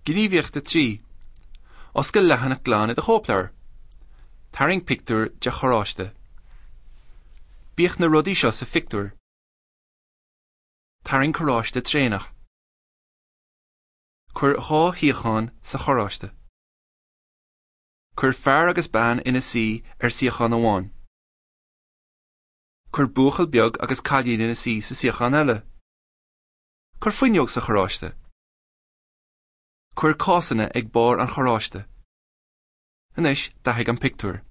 Gníomhaíocht 3. Oscail leathanach glan i do chóipleabhar. Tarraing pictiúr de charráiste. Bíodh na rudaí seo sa phictiúr. Tarraing carráiste traenach. Cuir 2 shuíochán sa charráiste. Cuir fear agus bean ina suí ar suíochán amháin. Cuir buachaill beag agus cailín ina suí sa suíochán eile. Cuir fuinneog sa charráiste. Cuir cásanna ag barr an charráiste. Anois, dathaigh an pictiúr.